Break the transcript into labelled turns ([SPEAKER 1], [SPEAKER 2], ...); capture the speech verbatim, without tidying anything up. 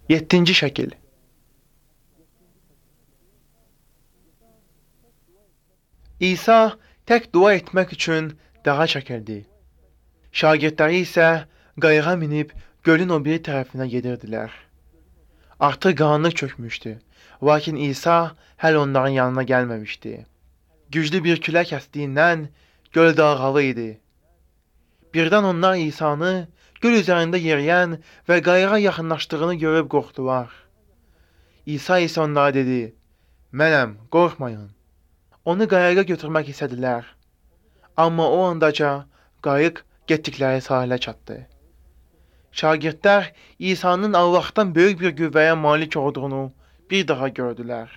[SPEAKER 1] Yeddinci şəkil. İsa tək dua etmək üçün dağa çəkildi. Şagirdləri isə qayığa minib gölün o biri tərəfinə gedirdilər. Artıq qaranlıq çökmüşdü, lakin İsa hələ onların yanına gəlməmişdi. Güclü bir külək əsdiyindən göl dalğalı idi. Birdən onlar İsanı göl üzərində yeriyən və qayığa yaxınlaşdığını görüb qorxdular. İsa isə onlara dedi: "Mənəm, qorxmayın." Onu qayığa götürmək istədilər. Amma o andaca qayıq getdikləri sahilə çatdı. Şagirdlər İsa'nın Allahdan böyük bir qüvvəyə malik olduğunu bir daha gördülər.